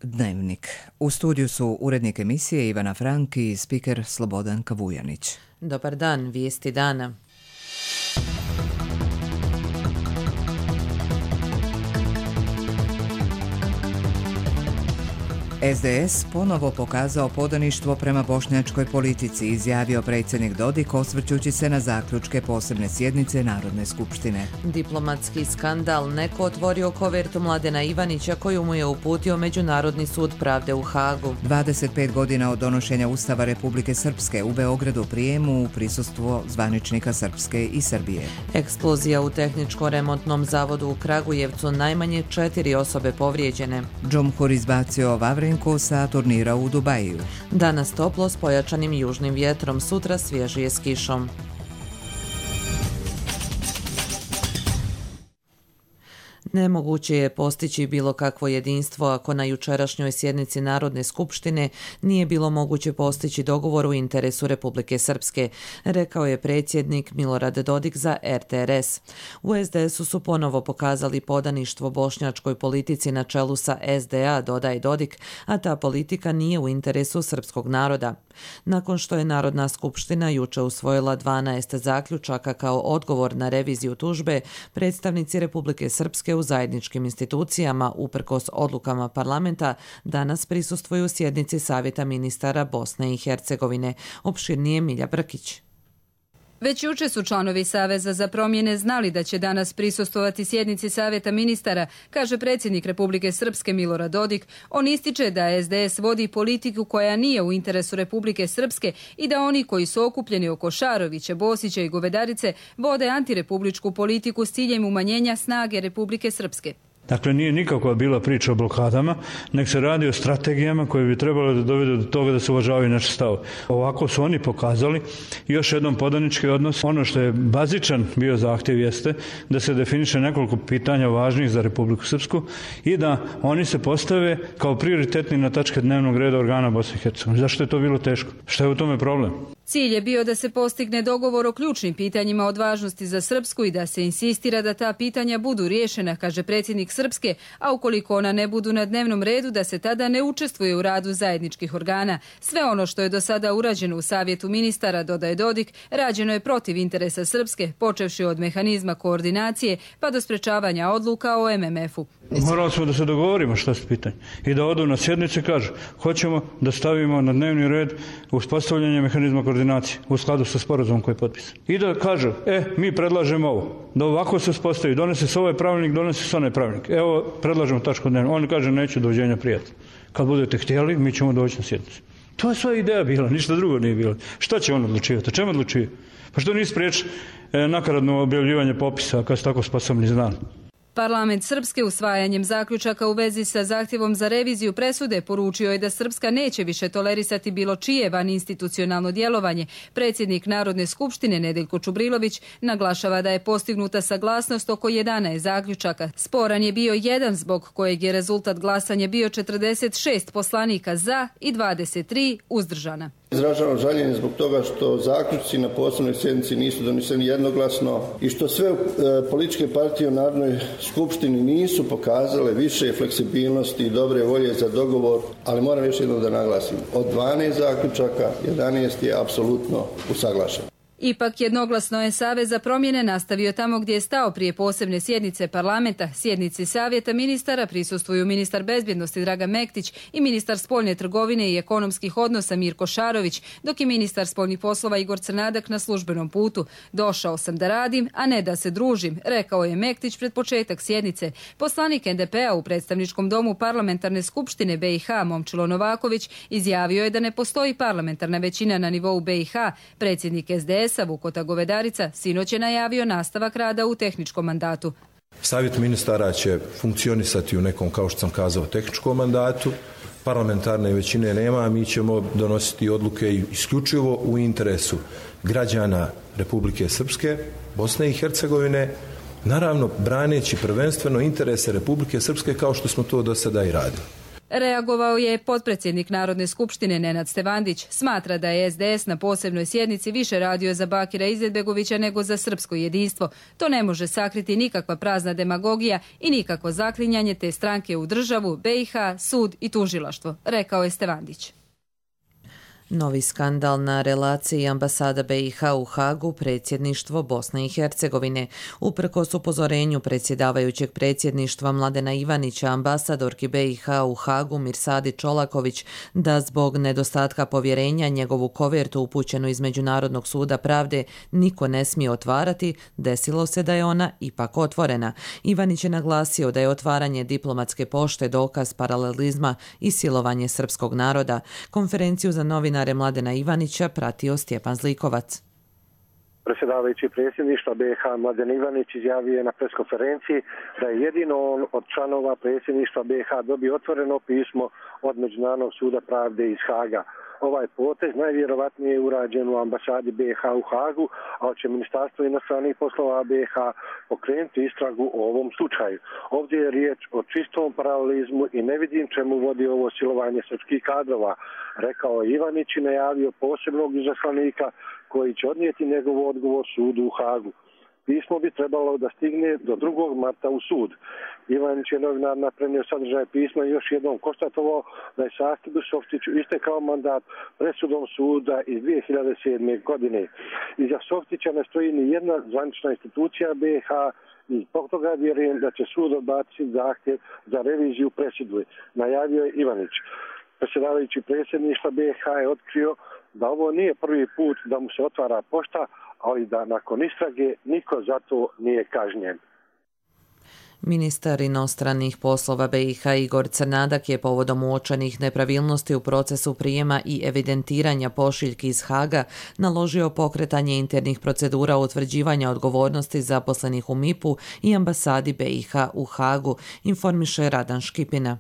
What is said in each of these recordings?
Dnevnik. U studiju su urednik emisije Ivana Frank i spiker Slobodan Kavujanić. Dobar dan, vijesti dana. SDS ponovo pokazao podaništvo prema bošnjačkoj politici, izjavio predsjednik Dodik osvrćući se na zaključke posebne sjednice Narodne skupštine. Diplomatski skandal. Neko otvorio kovertu Mladena Ivanića koju mu je uputio Međunarodni sud pravde u Hagu. 25 godina od donošenja Ustava Republike Srpske, u Beogradu prijemu u prisustvu zvaničnika Srpske i Srbije. Eksplozija u tehničko-remontnom zavodu u Kragujevcu, najmanje 4 osobe povrijeđene. Džumhur izbacio Vavrinko sa turnira u Dubaju. Danas toplo s pojačanim južnim vjetrom, sutra svježije s kišom. Nemoguće je postići bilo kakvo jedinstvo ako na jučerašnjoj sjednici Narodne skupštine nije bilo moguće postići dogovor u interesu Republike Srpske, rekao je predsjednik Milorad Dodik za RTRS. U SDS-u su ponovo pokazali podaništvo bošnjačkoj politici na čelu sa SDA, dodaje Dodik, a ta politika nije u interesu srpskog naroda. Nakon što je Narodna skupština juče usvojila 12 zaključaka kao odgovor na reviziju tužbe, predstavnici Republike Srpske u zajedničkim institucijama, uprkos odlukama parlamenta, danas prisustvuju sjednici Savjeta ministara Bosne i Hercegovine. Opširnije Milja Brkić. Već juče su članovi Saveza za promjene znali da će danas prisustvovati sjednici Savjeta ministara, kaže predsjednik Republike Srpske Milorad Dodik. On ističe da SDS vodi politiku koja nije u interesu Republike Srpske i da oni koji su okupljeni oko Šarovića, Bosića i Govedarice vode antirepubličku politiku s ciljem umanjenja snage Republike Srpske. Dakle, nije nikakva bila priča o blokadama, nek se radi o strategijama koje bi trebalo da dovedu do toga da se uvažavaju naše stavove. Ovako su oni pokazali još jednom podanički odnos. Ono što je bazičan bio zahtjev jeste da se definiše nekoliko pitanja važnih za Republiku Srpsku i da oni se postave kao prioritetni na tačke dnevnog reda organa Bosne i Hercegovine. Zašto je to bilo teško? Šta je u tome problem? Cilj je bio da se postigne dogovor o ključnim pitanjima od važnosti za Srpsku i da se insistira da ta pitanja budu riješena, kaže predsjednik Srpske, a ukoliko ona ne budu na dnevnom redu, da se tada ne učestvuje u radu zajedničkih organa. Sve ono što je do sada urađeno u Savjetu ministara, dodaje Dodik, rađeno je protiv interesa Srpske, počevši od mehanizma koordinacije pa do sprečavanja odluka o MMF-u. Morali smo da se dogovorimo što se pitanje i da odu na sjednice i kažu hoćemo da stavimo na dnevni red uspostavljanje mehanizma koordinacije u skladu sa sporazumom koji je potpisan. I da kažu, mi predlažemo ovo, da ovako se uspostavi, donese se ovaj pravilnik, donese se onaj pravilnik. Evo, predlažemo tačku dnevno. Oni kaže, neću, doviđenja, prijatelj. Kad budete htjeli, mi ćemo doći na sjednicu. To je sva ideja bila, ništa drugo nije bilo. Šta će on odlučivati? O čemu odlučuje? Pa što nije spriječi nakaradno objavljivanje popisa kad su tako sposobni znali? Parlament Srpske usvajanjem zaključaka u vezi sa zahtjevom za reviziju presude poručio je da Srpska neće više tolerisati bilo čije vaninstitucionalno djelovanje. Predsjednik Narodne skupštine Nedeljko Čubrilović naglašava da je postignuta saglasnost oko 11 zaključaka. Sporan je bio jedan zbog kojeg je rezultat glasanja bio 46 poslanika za i 23 uzdržana. Izražavam žaljenje zbog toga što zaključci na posebnoj sjednici nisu doneseni jednoglasno i što sve političke partije u Narodnoj skupštini nisu pokazale više fleksibilnosti i dobre volje za dogovor, ali moram još jednom da naglasim, od 12 zaključaka 11 je apsolutno usaglašen. Ipak jednoglasno je Savez za promjene nastavio tamo gdje je stao prije posebne sjednice parlamenta. Sjednici Savjeta ministara prisustvuju ministar bezbjednosti Dragan Mektić i ministar spoljne trgovine i ekonomskih odnosa Mirko Šarović, dok je ministar spoljnih poslova Igor Crnadak na službenom putu. Došao sam da radim, a ne da se družim, rekao je Mektić pred početak sjednice. Poslanik NDP-a u predstavničkom domu parlamentarne skupštine BiH Momčilo Novaković izjavio je da ne postoji parlamentarna većina na nivou BiH. Predsjednik SDS Vukota Govedarica sinoć je najavio nastavak rada u tehničkom mandatu. Savjet ministara će funkcionisati u nekom, kao što sam kazao, tehničkom mandatu. Parlamentarne većine nema, a mi ćemo donositi odluke isključivo u interesu građana Republike Srpske, Bosne i Hercegovine, naravno braneći prvenstveno interese Republike Srpske kao što smo to do sada i radili. Reagovao je potpredsjednik Narodne skupštine Nenad Stevandić. Smatra da je SDS na posebnoj sjednici više radio za Bakira Izetbegovića nego za srpsko jedinstvo. To ne može sakriti nikakva prazna demagogija i nikakvo zaklinjanje te stranke u državu, BiH, sud i tužilaštvo, rekao je Stevandić. Novi skandal na relaciji ambasada BiH u Hagu, predsjedništvo Bosne i Hercegovine. Uprkos upozorenju predsjedavajućeg predsjedništva Mladena Ivanića, ambasadorki BiH u Hagu Mirsadi Čolaković da zbog nedostatka povjerenja njegovu kovertu upućenu iz Međunarodnog suda pravde niko ne smije otvarati, desilo se da je ona ipak otvorena. Ivanić je naglasio da je otvaranje diplomatske pošte dokaz paralelizma i silovanje srpskog naroda. Konferenciju za novinare Mladena Ivanića pratio Stjepan Zlikovac. Predsjedavajući predsjedništva BiH Mladen Ivanić izjavio je na preskonferenciji da je jedino on od članova predsjedništva BiH dobio otvoreno pismo od Međunarodnog suda pravde iz Haga. Ovaj potez najvjerovatnije je urađen u ambasadi BiH u Hagu, a će Ministarstvo inostranih poslova BiH pokrenuti istragu o ovom slučaju. Ovdje je riječ o čistom paralelizmu i ne vidim čemu vodi ovo silovanje srpskih kadrova, rekao je Ivanić i najavio posebnog izaslanika koji će odnijeti njegov odgovor sudu u Hagu. Pismo bi trebalo da stigne do 2. marta u sud. Ivanić je novinarima prenio sadržaj pisma i još jednom konstatovao da je Sakibu Softiću istekao mandat presudom suda iz 2007. godine. Iza Softića ne stoji ni jedna zvanična institucija BiH i zbog toga vjerujem da će sud odbaciti zahtjev za reviziju presude, najavio je Ivanić. Predsjedavajući predsjedništva BiH je otkrio da ovo nije prvi put da mu se otvara pošta, ali da nakon istrage niko za to nije kažnjen. Ministar inostranih poslova BiH Igor Crnadak je povodom uočenih nepravilnosti u procesu prijema i evidentiranja pošiljki iz Haga naložio pokretanje internih procedura utvrđivanja odgovornosti zaposlenih u MIP-u i ambasadi BiH u Hagu, informiše Radan Škipina.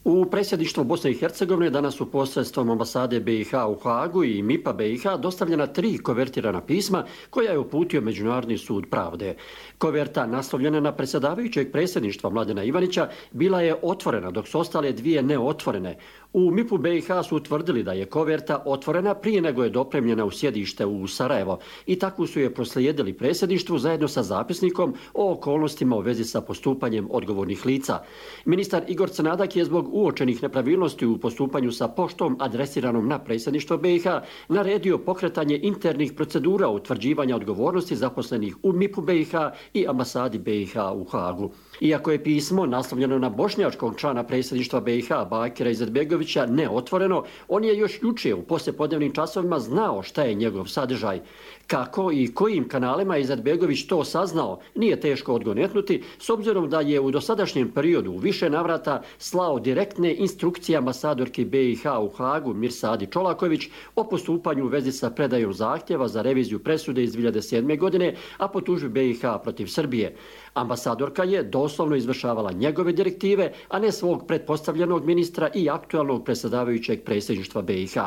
U predsjedništvu Bosne i Hercegovine danas su posredstvom ambasade BiH u Hagu i MIP-a BiH dostavljena 3 kovertirana pisma koja je uputio Međunarodni sud pravde. Koverta naslovljena na predsjedavajućeg predsjedništva Mladena Ivanića bila je otvorena, dok su ostale 2 neotvorene. U MIP-u BiH su utvrdili da je koverta otvorena prije nego je dopremljena u sjedište u Sarajevo i tako su je proslijedili predsjedništvu zajedno sa zapisnikom o okolnostima u vezi sa postupanjem odgovornih lica. Ministar Igor Crnadak je zbog uočenih nepravilnosti u postupanju sa poštom adresiranom na predsjedništvo BiH naredio pokretanje internih procedura utvrđivanja odgovornosti zaposlenih u MIP-u BiH i ambasadi BiH u Hagu. Iako je pismo naslovljeno na bošnjačkog člana predsjedništva BiH Bakira Izetbegovića neotvoreno, on je još jučer u poslijepodnevnim časovima znao šta je njegov sadržaj. Kako i kojim kanalima Izetbegović to saznao, nije teško odgonetnuti, s obzirom da je u dosadašnjem periodu u više navrata slao direktne instrukcije ambasadorki BiH u Hagu Mirsadi Čolaković o postupanju u vezi sa predajom zahtjeva za reviziju presude iz 2007. godine, a po tužbi BiH protiv Srbije. Ambasadorka je doslovno izvršavala njegove direktive, a ne svog pretpostavljenog ministra i aktualnog predsjedavajućeg predsjedništva BiH.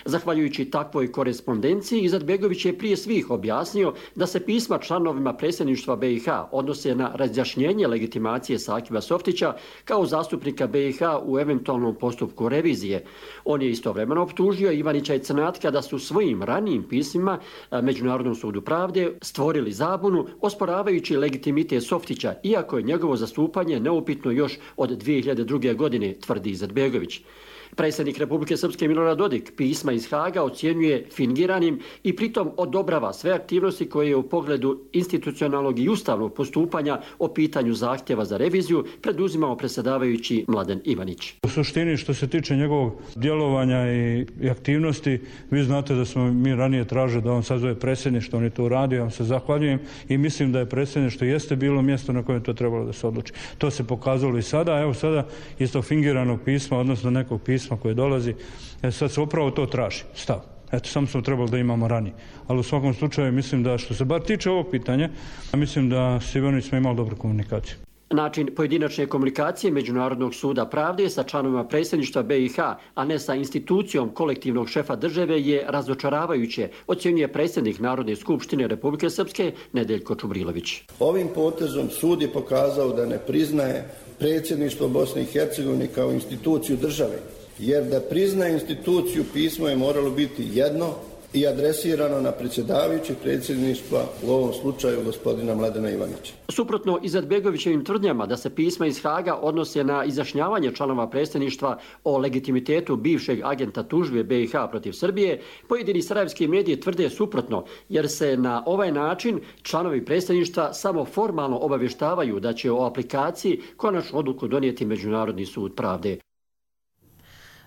Zahvaljujući takvoj korespondenciji, Izetbegović je prije svih objasnio da se pisma članovima predsjedništva BiH odnose na razjašnjenje legitimacije Sakiba Softića kao zastupnika BiH u eventualnom postupku revizije. On je istovremeno optužio Ivanića i Crnatka da su svojim ranijim pismima Međunarodnom sudu pravde stvorili zabunu osporavajući legitimitet Softića, iako je njegovo zastupanje neupitno još od 2002. godine, tvrdi Izetbegović. Predsjednik Republike Srpske Milorad Dodik pisma iz Haga ocjenjuje fingiranim i pritom odobrava sve aktivnosti koje je u pogledu institucionalnog i ustavnog postupanja o pitanju zahtjeva za reviziju preduzimao predsjedavajući Mladen Ivanić. U suštini što se tiče njegovog djelovanja i aktivnosti, vi znate da smo mi ranije tražili da on sazove predsjedništvo, on je to uradio, ja vam se zahvaljujem i mislim da je predsjedništvo jeste bilo mjesto na kojem to trebalo da se odluči. To se pokazalo i sada, evo sada iz tog fingiranog pisma, odnosno nekog pisma koje dolazi, sad se upravo to traži, stav. Eto, samo smo trebali da imamo ranije. Ali u svakom slučaju mislim da što se bar tiče ovog pitanja, mislim da s Ivanić smo imali dobru komunikaciju. Način pojedinačne komunikacije Međunarodnog suda pravde sa članovima predsjedništva BiH, a ne sa institucijom kolektivnog šefa države je razočaravajuće, ocjenjuje predsjednik Narodne skupštine Republike Srpske Nedeljko Čubrilović. Ovim potezom sud je pokazao da ne priznaje predsjedništvo Bosne i Hercegovine kao instituciju države, jer da prizna instituciju pismo je moralo biti jedno i adresirano na predsjedavajućeg predsjedništva, u ovom slučaju gospodina Mladena Ivanića. Suprotno Izetbegovićevim tvrdnjama da se pisma iz Haga odnose na izjašnjavanje članova predsjedništva o legitimitetu bivšeg agenta tužbe BiH protiv Srbije, pojedini sarajevski mediji tvrde suprotno, jer se na ovaj način članovi predsjedništva samo formalno obavještavaju da će o aplikaciji konačnu odluku donijeti Međunarodni sud pravde.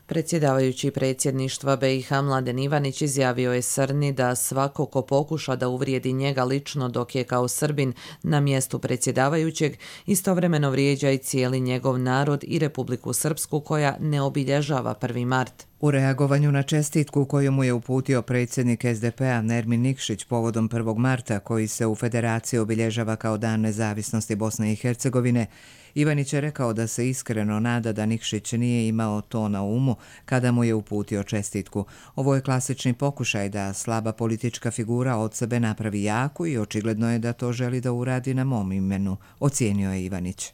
Predsjedavajući predsjedništva BiH Mladen Ivanić izjavio je Srni da svako ko pokuša da uvrijedi njega lično dok je kao Srbin na mjestu predsjedavajućeg, istovremeno vrijeđa i cijeli njegov narod i Republiku Srpsku koja ne obilježava 1. mart. U reagovanju na čestitku koju mu je uputio predsjednik SDP-a Nermin Nikšić povodom 1. marta, koji se u Federaciji obilježava kao Dan nezavisnosti Bosne i Hercegovine, Ivanić je rekao da se iskreno nada da Nikšić nije imao to na umu kada mu je uputio čestitku. Ovo je klasični pokušaj da slaba politička figura od sebe napravi jaku i očigledno je da to želi da uradi na mom imenu, ocijenio je Ivanić.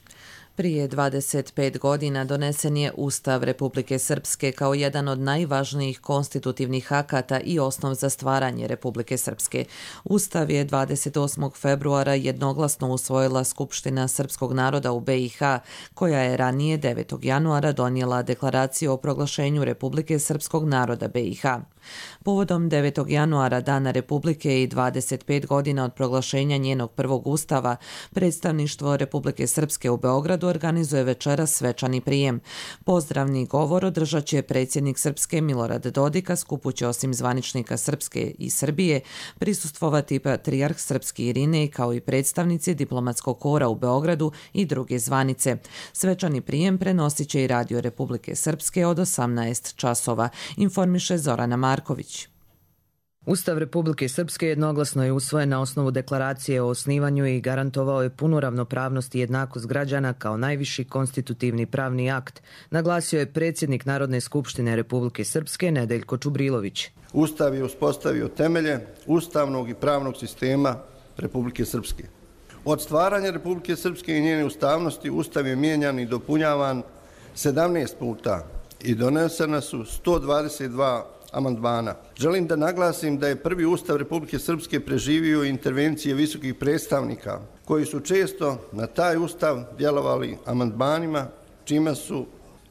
Prije 25 godina donesen je Ustav Republike Srpske kao jedan od najvažnijih konstitutivnih akata i osnov za stvaranje Republike Srpske. Ustav je 28. februara jednoglasno usvojila Skupština srpskog naroda u BiH, koja je ranije 9. januara donijela deklaraciju o proglašenju Republike srpskog naroda BiH. Povodom 9. januara Dana Republike i 25 godina od proglašenja njenog prvog ustava, predstavništvo Republike Srpske u Beogradu organizuje večeras svečani prijem. Pozdravni govor održat će predsjednik Srpske Milorad Dodik, a skupu će osim zvaničnika Srpske i Srbije prisustvovati patrijarh Srpski Irinej kao i predstavnici diplomatskog kora u Beogradu i druge zvanice. Svečani prijem prenosit će i Radio Republike Srpske od 18 časova, informiše Zorana Marković. Ustav Republike Srpske jednoglasno je usvojen na osnovu deklaracije o osnivanju i garantovao je punu ravnopravnost i jednakost građana kao najviši konstitutivni pravni akt, naglasio je predsjednik Narodne skupštine Republike Srpske Nedeljko Čubrilović. Ustav je uspostavio temelje ustavnog i pravnog sistema Republike Srpske. Od stvaranja Republike Srpske i njene ustavnosti Ustav je mijenjan i dopunjavan 17 puta i donesena su 122 amandmana. Želim da naglasim da je prvi Ustav Republike Srpske preživio intervencije visokih predstavnika koji su često na taj Ustav djelovali amandmanima, čime su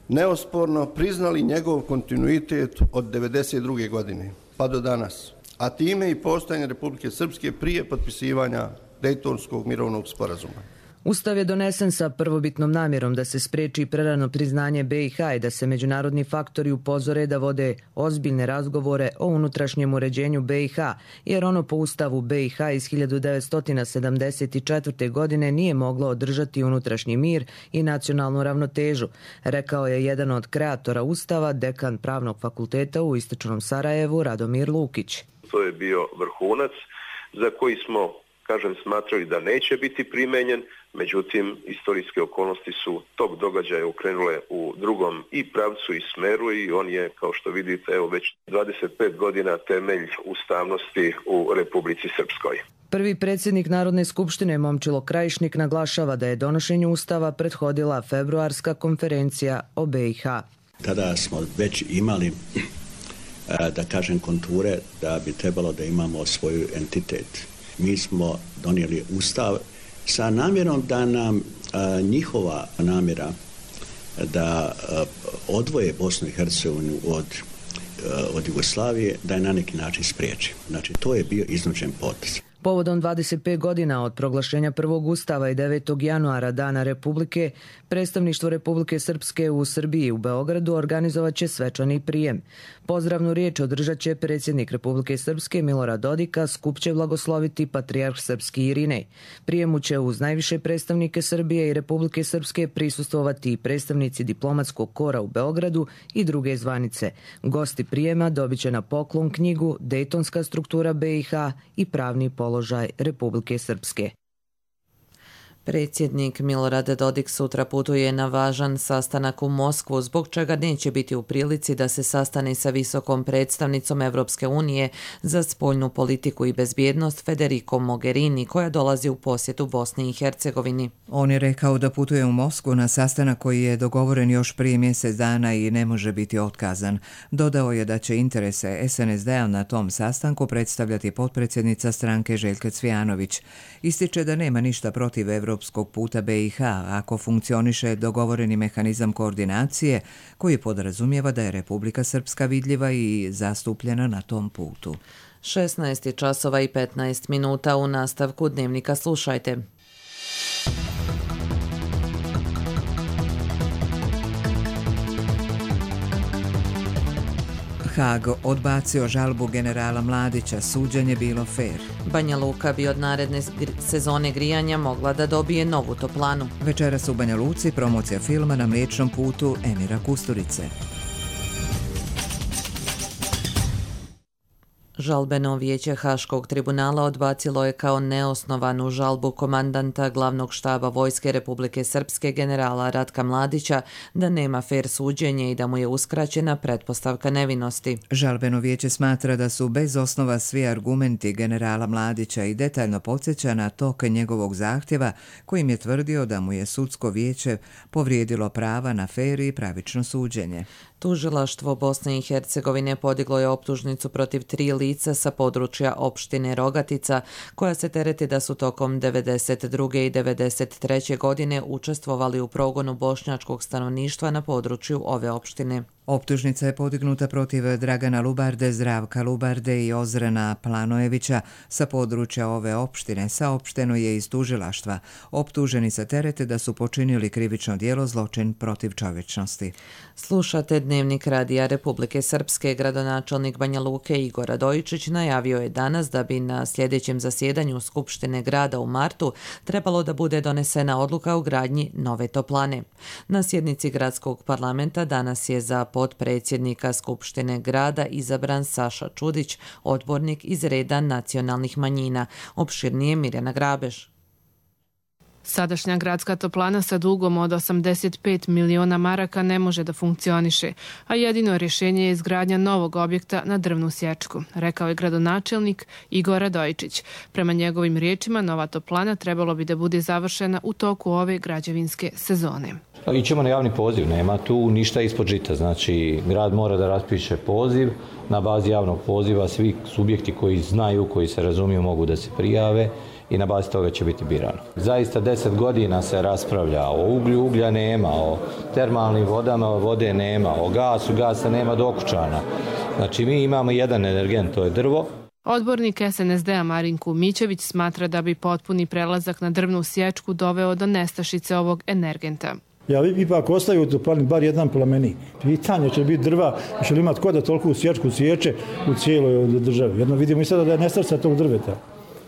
neosporno priznali njegov kontinuitet od 1992. godine pa do danas, a time i postojanje Republike Srpske prije potpisivanja Dejtonskog mirovnog sporazuma. Ustav je donesen sa prvobitnom namjerom da se spreči prerano priznanje BiH i da se međunarodni faktori upozore da vode ozbiljne razgovore o unutrašnjem uređenju BiH, jer ono po Ustavu BiH iz 1974. godine nije moglo održati unutrašnji mir i nacionalnu ravnotežu, rekao je jedan od kreatora Ustava, dekan Pravnog fakulteta u Istočnom Sarajevu, Radomir Lukić. To je bio vrhunac za koji smo, smatrali da neće biti primenjen, međutim, istorijske okolnosti su tog događaja ukrenule u drugom i pravcu i smeru i on je, kao što vidite, već 25 godina temelj ustavnosti u Republici Srpskoj. Prvi predsjednik Narodne skupštine Momčilo Krajišnik naglašava da je donošenju Ustava prethodila februarska konferencija o BiH. Tada smo već imali, konture da bi trebalo da imamo svoj entitet. Mi smo donijeli Ustav sa namjerom da nam njihova namjera da odvoje Bosnu i Hercegovinu od Jugoslavije, da je na neki način spriječi. Znači, to je bio iznuđen potez. Povodom 25 godina od proglašenja prvog Ustava i 9. januara Dana Republike, predstavništvo Republike Srpske u Srbiji u Beogradu organizovat će svečani prijem. Pozdravnu riječ održat će predsjednik Republike Srpske Milorad Dodik, skup će blagosloviti patrijarh Srpski Irinej. Prijemu će uz najviše predstavnike Srbije i Republike Srpske prisustvovati i predstavnici diplomatskog kora u Beogradu i druge zvanice. Gosti prijema dobit će na poklon knjigu Dejtonska struktura BiH i pravni položaj Republike Srpske. Predsjednik Milorad Dodik sutra putuje na važan sastanak u Moskvu, zbog čega neće biti u prilici da se sastane sa visokom predstavnicom Evropske unije za spoljnu politiku i bezbjednost Federico Mogherini, koja dolazi u posjetu Bosni i Hercegovini. On je rekao da putuje u Moskvu na sastanak koji je dogovoren još prije mjesec dana i ne može biti otkazan. Dodao je da će interese SNSD-a na tom sastanku predstavljati potpredsjednica stranke Željka Cvijanović. Ističe da nema ništa protiv evropskog puta BiH ako funkcioniše dogovoreni mehanizam koordinacije koji podrazumijeva da je Republika Srpska vidljiva i zastupljena na tom putu. 16 časova i 15 minuta u nastavku Dnevnika slušajte. Haag odbacio žalbu generala Mladića, suđenje bilo fair. Banja Luka bi od naredne sezone grijanja mogla da dobije novu toplanu. Večeras u Banja Luci promocija filma Na Mliječnom putu Emira Kusturice. Žalbeno vijeće Haškog tribunala odbacilo je kao neosnovanu žalbu komandanta glavnog štaba Vojske Republike Srpske generala Ratka Mladića da nema fer suđenje i da mu je uskraćena pretpostavka nevinosti. Žalbeno vijeće smatra da su bez osnova svi argumenti generala Mladića i detaljno podsjeća na tok njegovog zahtjeva kojim je tvrdio da mu je sudsko vijeće povrijedilo prava na fer i pravično suđenje. Tužilaštvo Bosne i Hercegovine podiglo je optužnicu protiv 3 lica sa područja opštine Rogatica, koja se tereti da su tokom 1992. i 1993. godine učestvovali u progonu bošnjačkog stanovništva na području ove opštine. Optužnica je podignuta protiv Dragana Lubarde, Zdravka Lubarde i Ozrena Planojevića sa područja ove opštine. Saopšteno je iz tužilaštva. Optuženi se terete da su počinili krivično djelo zločin protiv čovječnosti. Slušate Dnevnik Radija Republike Srpske. Gradonačelnik Banja Luke Igor Radojičić najavio je danas da bi na sljedećem zasjedanju Skupštine grada u martu trebalo da bude donesena odluka o gradnji nove toplane. Na sjednici gradskog parlamenta danas je za potpredsjednika Skupštine grada izabran Saša Čudić, odbornik iz reda nacionalnih manjina. Opširnije Mirjana Grabeš. Sadašnja gradska toplana sa dugom od 85 miliona maraka ne može da funkcioniše, a jedino rješenje je izgradnja novog objekta na drvnu sječku, rekao je gradonačelnik Igor Radojičić. Prema njegovim riječima, nova toplana trebalo bi da bude završena u toku ove građevinske sezone. Ićemo na javni poziv, nema tu ništa ispod žita, znači grad mora da raspiše poziv, na bazi javnog poziva svi subjekti koji znaju, koji se razumiju mogu da se prijave i na bazi toga će biti birano. Zaista 10 godina se raspravlja o uglju, uglja nema, o termalnim vodama, vode nema, o gasu, gasa nema do Okučana. Znači mi imamo jedan energent, to je drvo. Odbornik SNSD-a Marinku Mićević smatra da bi potpuni prelazak na drvnu sječku doveo do nestašice ovog energenta. Ja ipak ostaju u toplani bar jedan plamenik. Pitanje će biti drva, će li imati ko da toliko sječku sječe u cijeloj državi. Jedno vidimo i sada da je nestašica tog drveta.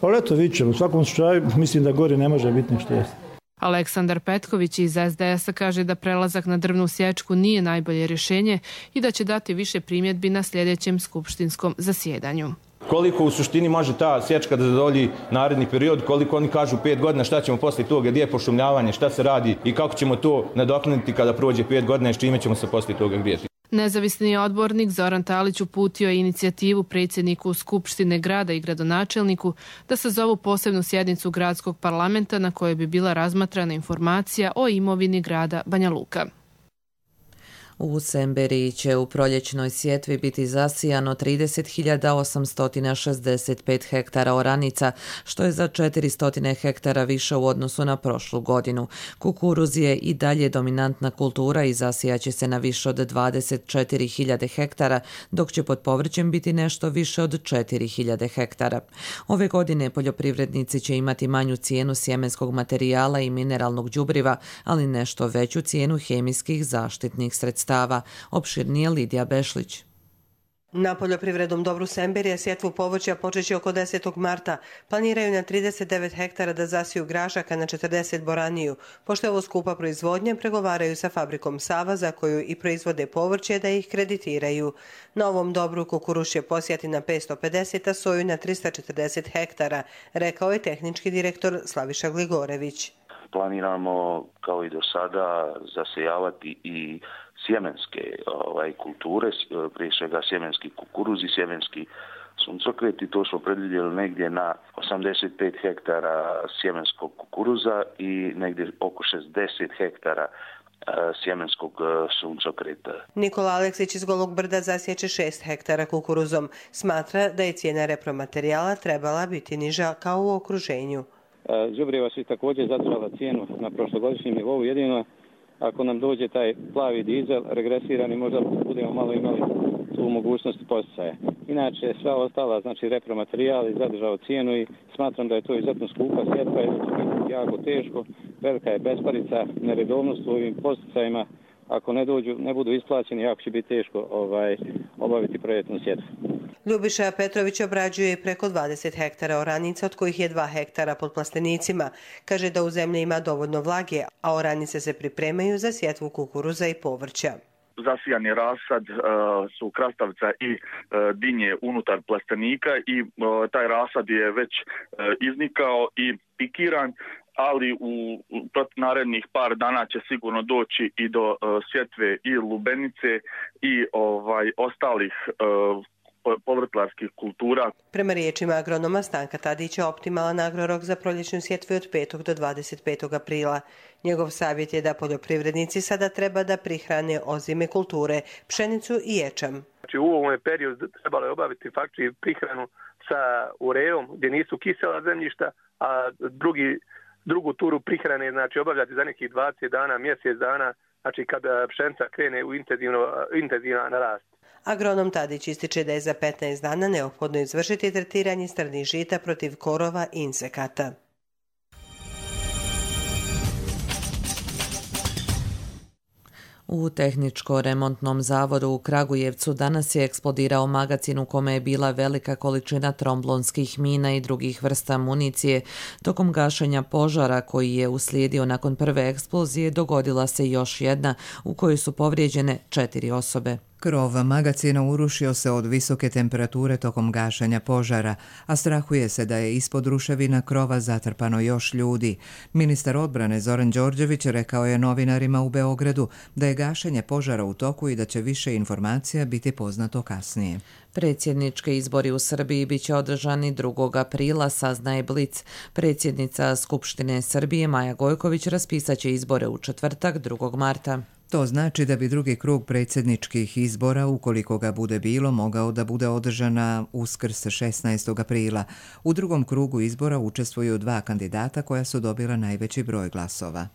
Ali eto, vidit ćemo. U svakom slučaju mislim da gore ne može biti ništa jesti. Aleksandar Petković iz SDS-a kaže da prelazak na drvnu sječku nije najbolje rješenje i da će dati više primjedbi na sljedećem skupštinskom zasjedanju. Koliko u suštini može ta sječka da zadovolji naredni period, koliko oni kažu 5 godina, šta ćemo poslije toga, gdje je pošumljavanje, šta se radi i kako ćemo to nadoknaditi kada prođe 5 godina i s čime ćemo se poslije toga grijeti. Nezavisni odbornik Zoran Talić uputio je inicijativu predsjedniku Skupštine grada i gradonačelniku da sazovu posebnu sjednicu gradskog parlamenta na kojoj bi bila razmatrana informacija o imovini grada Banja Luka. U Semberiji će u proljećnoj sjetvi biti zasijano 30.865 hektara oranica, što je za 400 hektara više u odnosu na prošlu godinu. Kukuruz je i dalje dominantna kultura i zasijaće se na više od 24.000 hektara, dok će pod povrćem biti nešto više od 4.000 hektara. Ove godine poljoprivrednici će imati manju cijenu sjemenskog materijala i mineralnog đubriva, ali nešto veću cijenu hemijskih zaštitnih sredstava. Opširnije Lidija Bešlić. Na poljoprivrednom dobru Semberija sjetvu povrća počeće oko 10. marta. Planiraju na 39 hektara da zasiju grašaka, na 40 boraniju. Pošto je ovo skupa proizvodnje, pregovaraju sa fabrikom Sava, za koju i proizvode povrće, da ih kreditiraju. Na ovom dobru kukuruz će posijati na 550, a soju na 340 hektara, rekao je tehnički direktor Slaviša Gligorević. planiramo kao i do sada zasejavati i sjemenske kulture, prije svega sjemenski kukuruz i sjemenski suncokret i to smo predvidjeli negdje na 85 hektara sjemenskog kukuruza i negdje oko 60 hektara sjemenskog suncokreta. Nikola Aleksić iz Golog Brda zasjeće 6 hektara kukuruzom. Smatra da je cijena repromaterijala trebala biti niža kao u okruženju. Đubriva su također zadržala cijenu na prošlogodišnjem nivou, jedino ako nam dođe taj plavi dizel regresirani, možda budemo malo imali tu mogućnost posticaja. Inače, sva ostala, znači repromaterijal je zadržao cijenu i smatram da je to izuzetno skupa sjetva i da će biti jako teško. Velika je besparica, neredovnost u ovim posticajima. Ako ne budu isplaćeni, jako će biti teško obaviti projektnu sjetvu. Ljubiša Petrović obrađuje preko 20 hektara oranica, od kojih je 2 hektara pod plastenicima. Kaže da u zemlji ima dovoljno vlage, a oranice se pripremaju za sjetvu kukuruza i povrća. Zasijani rasad su krastavca i dinje unutar plastenika i taj rasad je već iznikao i pikiran, ali u narednih par dana će sigurno doći i do sjetve i lubenice i ostalih povrtlarskih kultura. Prema riječima agronoma Stanka Tadića, optimalan agrorok za proljećnu sjetvu je od 5. do 25. aprila. Njegov savjet je da poljoprivrednici sada treba da prihrane ozime kulture, pšenicu i ječam. Znači, u ovom periodu trebalo je obaviti faktički prihranu sa ureom gdje nisu kisela zemljišta, a drugu turu prihrane znači obavljati za nekih 20 dana, mjesec dana, znači kada pšenica krene u intenzivan rast. Agronom Tadić ističe da je za 15 dana neophodno izvršiti tretiranje strnih žita protiv korova i insekata. U tehničko-remontnom zavodu u Kragujevcu danas je eksplodirao magacin u kome je bila velika količina tromblonskih mina i drugih vrsta municije. Tokom gašenja požara koji je uslijedio nakon prve eksplozije dogodila se još jedna u kojoj su povrijeđene 4 osobe. Krov magacina urušio se od visoke temperature tokom gašenja požara, a strahuje se da je ispod ruševina krova zatrpano još ljudi. Ministar odbrane Zoran Đorđević rekao je novinarima u Beogradu da je gašenje požara u toku i da će više informacija biti poznato kasnije. Predsjednički izbori u Srbiji biće održani 2. aprila, saznaje Blic. Predsjednica Skupštine Srbije Maja Gojković raspisaće izbore u četvrtak 2. marta. To znači da bi drugi krug predsjedničkih izbora, ukoliko ga bude bilo, mogao da bude održana Uskrs 16. aprila. U drugom krugu izbora učestvuju 2 kandidata koja su dobila najveći broj glasova.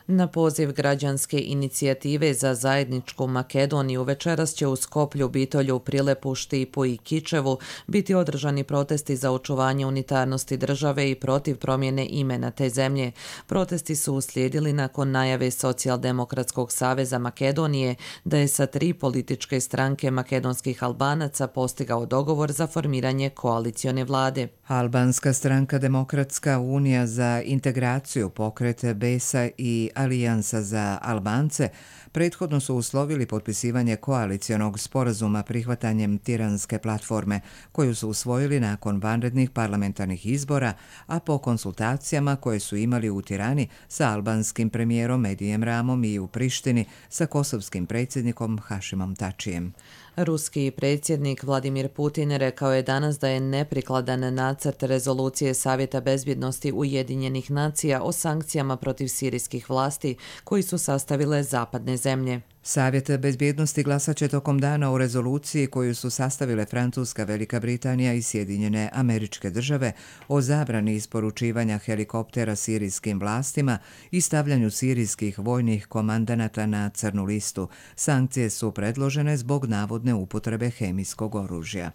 Na poziv građanske inicijative za zajedničku Makedoniju večeras će u Skoplju, Bitolju, Prilepu, Štipu i Kičevu biti održani protesti za očuvanje unitarnosti države i protiv promjene imena te zemlje. Protesti su uslijedili nakon najave Socijaldemokratskog saveza Makedonije da je sa 3 političke stranke makedonskih Albanaca postigao dogovor za formiranje koalicione vlade. Albanska stranka Demokratska unija za integraciju, pokret BESA i Alijansa za Albance prethodno su uslovili potpisivanje koalicionog sporazuma prihvatanjem Tiranske platforme, koju su usvojili nakon vanrednih parlamentarnih izbora, a po konsultacijama koje su imali u Tirani sa albanskim premijerom Edijem Ramom i u Prištini sa kosovskim predsjednikom Hašimom Tačijem. Ruski predsjednik Vladimir Putin rekao je danas da je neprikladan nacrt rezolucije Savjeta bezbjednosti Ujedinjenih nacija o sankcijama protiv sirijskih vlasti koji su sastavile zapadne zemlje. Savjet bezbjednosti glasat će tokom dana o rezoluciji koju su sastavile Francuska, Velika Britanija i Sjedinjene Američke Države o zabrani isporučivanja helikoptera sirijskim vlastima i stavljanju sirijskih vojnih komandanata na crnu listu. Sankcije su predložene zbog navodne upotrebe hemijskog oružja.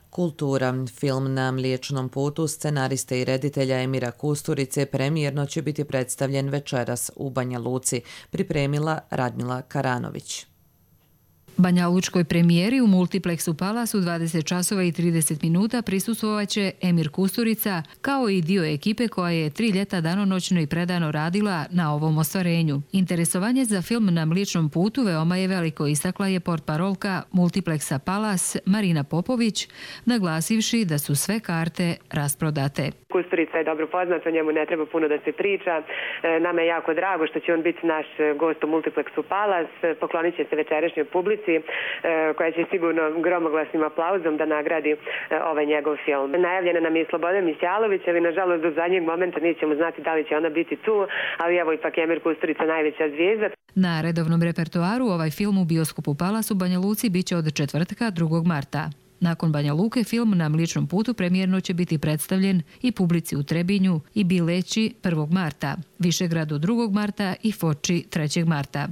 Kultura. Film Na Mliječnom putu scenariste i reditelja Emira Kusturice premijerno će biti predstavljen večeras u Banja Luci, pripremila Radmila Karanović. Banjalučkoj premijeri u Multiplexu Palace u 20 časova i 30 minuta prisustvovaće Emir Kusturica, kao i dio ekipe koja je 3 ljeta danonoćno i predano radila na ovom ostvarenju. Interesovanje za film Na Mliječnom putu veoma je veliko, istakla je portparolka Multiplexa Palace Marina Popović, naglasivši da su sve karte rasprodate. Kusturica je dobro poznat, o njemu ne treba puno da se priča. Nama je jako drago što će on biti naš gost u Multiplexu Palace. Poklonit će se večerašnjoj publici koja će sigurno gromoglasnim aplauzom da nagradi ovaj njegov film. Najavljena nam je Slobodan Mićalović, ali nažalost do zadnjeg momenta nećemo znati da li će ona biti tu, ali evo ipak Emir Kusturica najveća zvijezda. Na redovnom repertoaru ovaj film u bioskopu Palace u Banja Luci biće od četvrtka 2. marta. Nakon Banja Luke film Na Mliječnom putu premijerno će biti predstavljen i publici u Trebinju i Bileći 1. marta, Višegradu 2. marta i Foči 3. marta.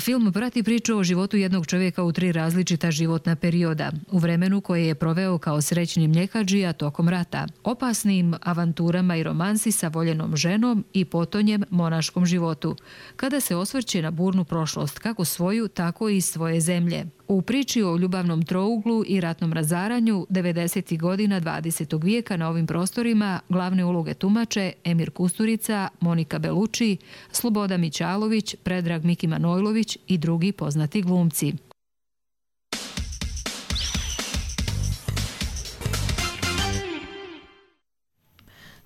Film prati priču o životu jednog čovjeka u 3 različita životna perioda, u vremenu koje je proveo kao srećni mljekadžija tokom rata, opasnim avanturama i romansi sa voljenom ženom i potonjem monaškom životu, kada se osvrće na burnu prošlost, kako svoju, tako i svoje zemlje. U priči o ljubavnom trouglu i ratnom razaranju 90. godina 20. vijeka na ovim prostorima glavne uloge tumače Emir Kusturica, Monika Beluči, Sloboda Mićalović, Predrag Miki Manojlović i drugi poznati glumci.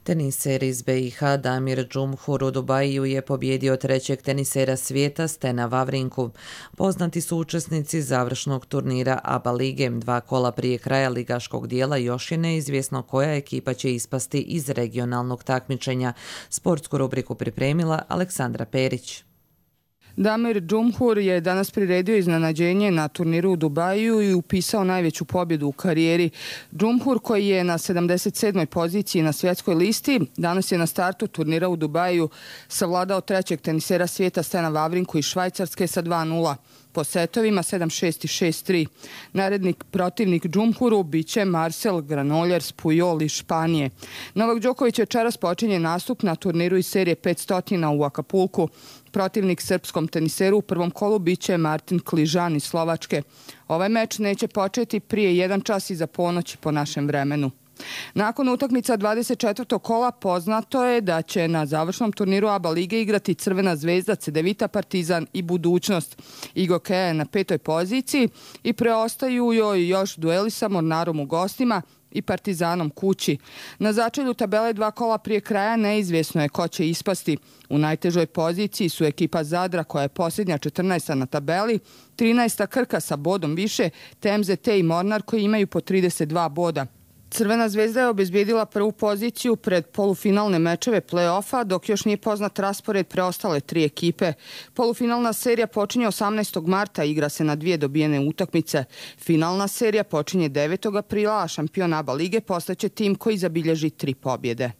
Teniser iz BiH Damir Džumhur u Dubaju je pobjedio 3. tenisera svijeta Stena Vavrinku. Poznati su učesnici završnog turnira ABA lige. 2 kola prije kraja ligaškog dijela još je neizvjesno koja ekipa će ispasti iz regionalnog takmičenja. Sportsku rubriku pripremila Aleksandra Perić. Damir Džumhur je danas priredio iznenađenje na turniru u Dubaju i upisao najveću pobjedu u karijeri. Džumhur, koji je na 77. poziciji na svjetskoj listi, danas je na startu turnira u Dubaju savladao 3. tenisera svijeta Stena Vavrinku iz Švajcarske sa 2:0. Po setovima 7-6 i 6-3. Naredni protivnik Džumhuru biće Marcel Granollers Pujol iz Španije. Novak Đoković večeras počinje nastup na turniru iz serije 500 u Akapulku. Protivnik srpskom teniseru u prvom kolu biće Martin Kližan iz Slovačke. Ovaj meč neće početi prije 1 čas iza ponoći po našem vremenu. Nakon utakmica 24. kola poznato je da će na završnom turniru ABA lige igrati Crvena zvezda, Cedevita, Partizan i Budućnost. Igo Kea je na 5. poziciji i preostaju joj još dueli sa Mornarom u gostima i Partizanom kući. Na začelju tabele 2 kola prije kraja neizvjesno je ko će ispasti. U najtežoj poziciji su ekipa Zadra, koja je posljednja 14. na tabeli, 13. Krka sa bodom više, te MZT i Mornar koji imaju po 32 boda. Crvena zvezda je obezbijedila prvu poziciju pred polufinalne mečeve play-offa, dok još nije poznat raspored preostale 3 ekipe. Polufinalna serija počinje 18. marta, igra se na 2 dobijene utakmice. Finalna serija počinje 9. aprila, a šampion ABA lige postaće tim koji zabilježi 3 pobjede.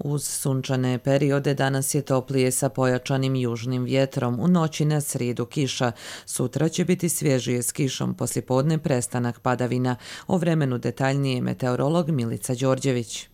Uz sunčane periode danas je toplije sa pojačanim južnim vjetrom. U noći na srijedu kiša. Sutra će biti svježije s kišom, poslijepodne prestanak padavina. O vremenu detaljnije meteorolog Milica Đorđević.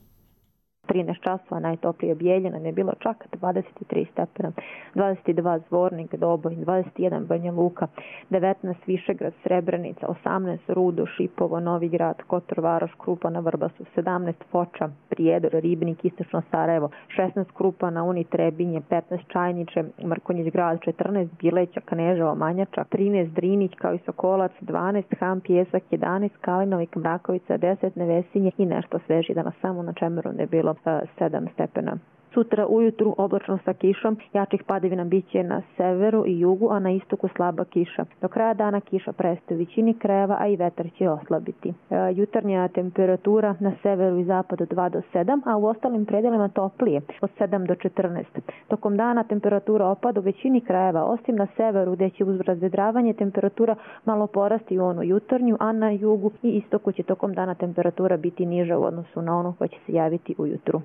13 časova najtoplije Bijeljina je bilo čak 23 stepena, 22 Zvornik, Doboj, 21 Banja Luka, 19 Višegrad, Srebrenica, 18 Rudo, Šipovo, Novi Grad, Kotor Varoš, Krupa na Vrbasu, 17 Foča, Prijedor, Ribnik, Istočno Sarajevo, 16 Krupa na Uni, Trebinje, 15 Čajniče, Mrkonjić Grad, 14 Bileća, Kneževo, Manjačak, 13 Drinić kao i Sokolac, 12 Ham, Pjesak, 11 Kalinovik, Mrakovica, 10 Nevesinje i nešto sveži danas samo na Čemeru je bilo 7 stepena. Sutra ujutru oblačno sa kišom, jačih padavina biće na severu i jugu, a na istoku slaba kiša. Do kraja dana kiša prestaje u većini krajeva, a i vetar će oslabiti. Jutarnja temperatura na severu i zapadu 2 do 7, a u ostalim predelima toplije od 7 do 14. Tokom dana temperatura opada u većini krajeva, osim na severu gdje će uz razvedravanje temperatura malo porasti u onu jutarnju, a na jugu i istoku će tokom dana temperatura biti niža u odnosu na onu koja će se javiti ujutru.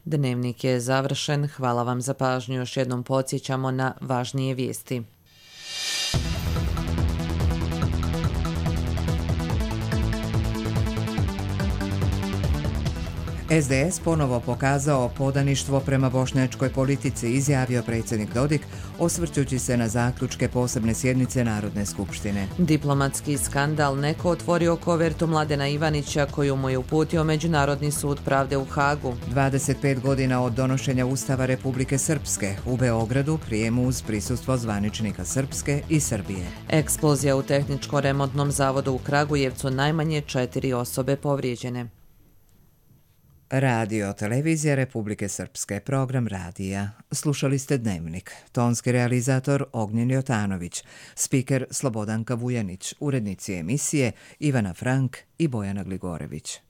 Dnevnik je završen. Hvala vam za pažnju. Još jednom podsjećamo na važnije vijesti. SDS ponovo pokazao podaništvo prema bošnjačkoj politici, izjavio predsjednik Dodik, osvrćući se na zaključke posebne sjednice Narodne skupštine. Diplomatski skandal, neko otvorio kovertu Mladena Ivanića koju mu je uputio Međunarodni sud pravde u Hagu. 25 godina od donošenja Ustava Republike Srpske, u Beogradu prijemu uz prisustvo zvaničnika Srpske i Srbije. Eksplozija u tehničko-remontnom zavodu u Kragujevcu, najmanje 4 osobe povrijeđene. Radio Televizija Republike Srpske, program radija. Slušali ste Dnevnik. Tonski realizator Ognjen Jotanović, spiker Slobodanka Vujanić, urednici emisije Ivana Frank i Bojana Gligorević.